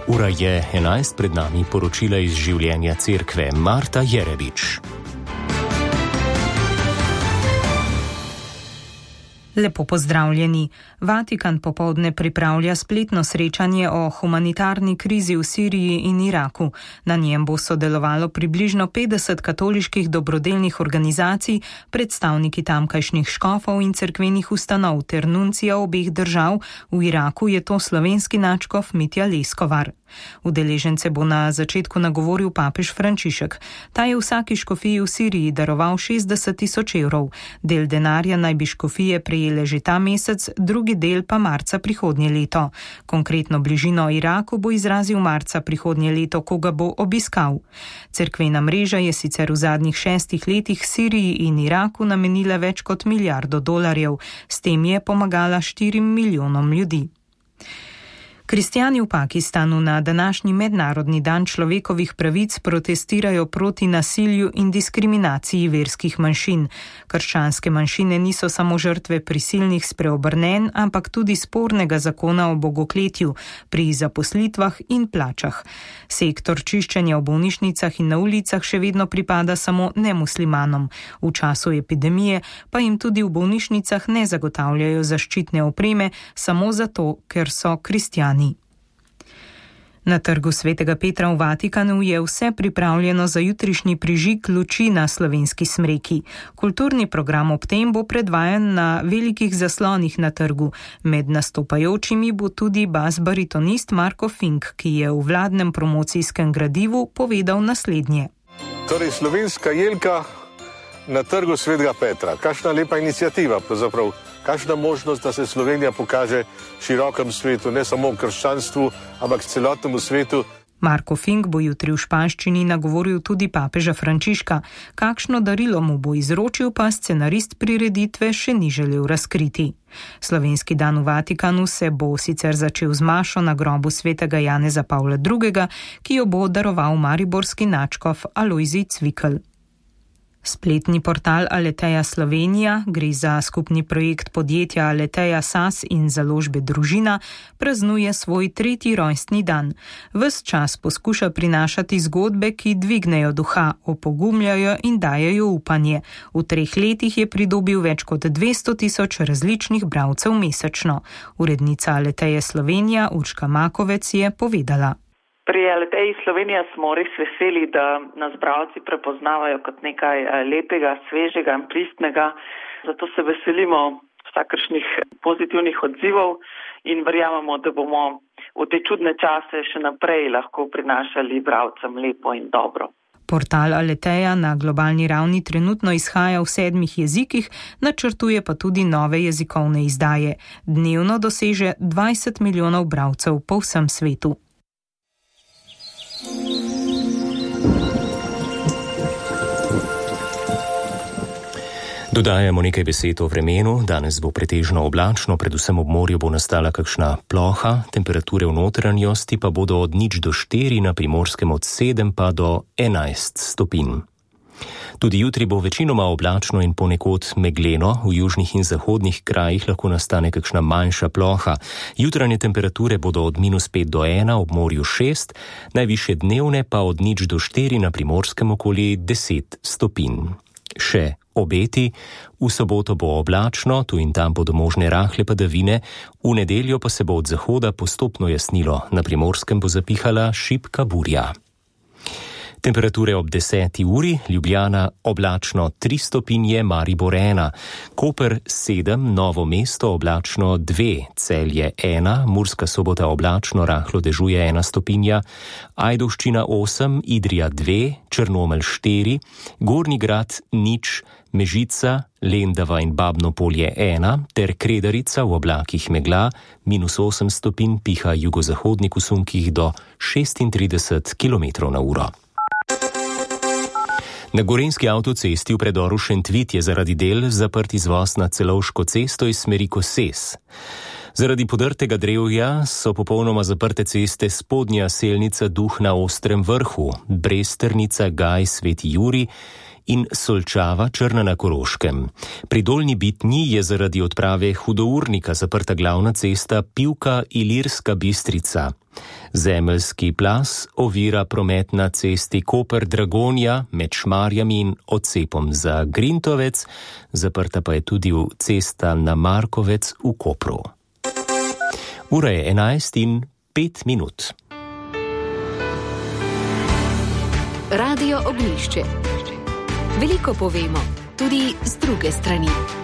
Ura je 11, pred nami poročila iz življenja cerkve. Marta Jerebič. Lepo pozdravljeni. Vatikan popoldne pripravlja spletno srečanje o humanitarni krizi v Siriji in Iraku. Na njem bo sodelovalo približno 50 katoliških dobrodelnih organizacij, predstavniki tamkajšnjih škofov in cerkvenih ustanov ter nuncija obeh držav. V Iraku je to slovenski nadškof Mitja Leskovar. Udeležence bo na začetku nagovoril papež Frančišek. Ta je vsaki škofiji v Siriji daroval 60.000 evrov. Del denarja naj bi škofije prejele že ta mesec, drugi del pa marca prihodnje leto. Konkretno bližino Iraku bo izrazil marca prihodnje leto, ko ga bo obiskal. Cerkvena mreža je sicer v zadnjih 6 letih Siriji in Iraku namenila več kot $1 milijardo. S tem je pomagala 4 milijonom ljudi. Kristjani v Pakistanu na današnji mednarodni dan človekovih pravic protestirajo proti nasilju in diskriminaciji verskih manjšin. Krščanske manjšine niso samo žrtve prisilnih spreobrnenj, ampak tudi spornega zakona o bogokletju pri zaposlitvah in plačah. Sektor čiščenja v bolnišnicah in na ulicah še vedno pripada samo nemuslimanom. V času epidemije pa jim tudi v bolnišnicah ne zagotavljajo zaščitne opreme samo zato, ker so kristjani. Na trgu Svetega Petra v Vatikanu je vse pripravljeno za jutrišnji prižig luči na slovenski smreki. Kulturni program ob tem bo predvajan na velikih zaslonih na trgu. Med nastopajočimi bo tudi bas-baritonist Marko Fink, ki je v vladnem promocijskem gradivu povedal naslednje. Torej, slovenska jelka na trgu Svetega Petra. Kakšna lepa inicijativa, pravzaprav. Kakšna možnost, da se Slovenija pokaže širokem svetu, ne samo v krščanstvu, ampak celotnemu svetu. Marko Fink bo jutri v španščini nagovoril tudi papeža Frančiška. Kakšno darilo mu bo izročil, pa scenarist prireditve še ni želel razkriti. Slovenski dan v Vatikanu se bo sicer začel z mašo na grobu svetega Janeza Pavla II., ki jo bo daroval mariborski nadškof Alojzij Cvikl. Spletni portal Aleteja Slovenija, gre za skupni projekt podjetja Aleteja SAS in založbe Družina, praznuje svoj 3. rojstni dan. Ves čas poskuša prinašati zgodbe, ki dvignejo duha, opogumljajo in dajejo upanje. V 3 letih je pridobil več kot 200.000 različnih bralcev mesečno. Urednica Aleteje Slovenija Urška Makovec je povedala. Pri Aleteji Slovenija smo res veseli, da nas bralci prepoznavajo kot nekaj lepega, svežega in pristnega. Zato se veselimo vsakršnih pozitivnih odzivov in verjamemo, da bomo v te čudne čase še naprej lahko prinašali bralcem lepo in dobro. Portal Aleteja na globalni ravni trenutno izhaja v 7 jezikih, načrtuje pa tudi nove jezikovne izdaje. Dnevno doseže 20 milijonov bralcev po vsem svetu. Dodajamo nekaj besed o vremenu. Danes bo pretežno oblačno, predvsem ob morju bo nastala kakšna ploha, temperature v notranjosti pa bodo od 0 do 4, na Primorskem od 7 pa do 11 stopinj. Tudi jutri bo večinoma oblačno in ponekod megleno, v južnih in zahodnih krajih lahko nastane kakšna manjša ploha. Jutranje temperature bodo od -5 do 1, ob morju 6, najvišje dnevne pa od 0 do 4, na Primorskem okoli 10 stopinj. Še obeti, v soboto bo oblačno, tu in tam bodo možne rahle padavine, v nedeljo pa se bo od zahoda postopno jasnilo, na Primorskem bo zapihala šibka burja. Temperature ob 10. uri, Ljubljana oblačno 3 stopinje, Maribor 1, Koper 7, Novo mesto oblačno 2, Celje 1, Murska Sobota oblačno, rahlo dežuje 1 stopinja, Ajdovščina 8, Idrija 2, Črnomelj 4, Gornji Grad 0, Mežica, Lendava in Babno Polje 1 ter Kredarica v oblakih megla, -8 stopinj, piha jugozahodnik v sunkih do 36 km/h. Na gorenjski avtocesti v predoru Šentvit je zaradi del zaprt izvoz na Celovško cesto iz smeri Koses. Zaradi podrtega drevja so popolnoma zaprte ceste Spodnja Selnica Duh na Ostrem vrhu, Bresternica Gaj Sveti Jurij in Solčava Črna na Koroškem. Pri Dolnji Bitnji je zaradi odprave hudournika zaprta glavna cesta Pivka Ilirska Bistrica. Zemeljski plaz ovira promet na cesti Koper-Dragonja med Šmarjami in odcepom za Grintovec, zaprta pa je tudi cesta na Markovec v Kopru. Ura je 11:05. Radio Ognjišče. Veliko povemo, tudi z druge strani.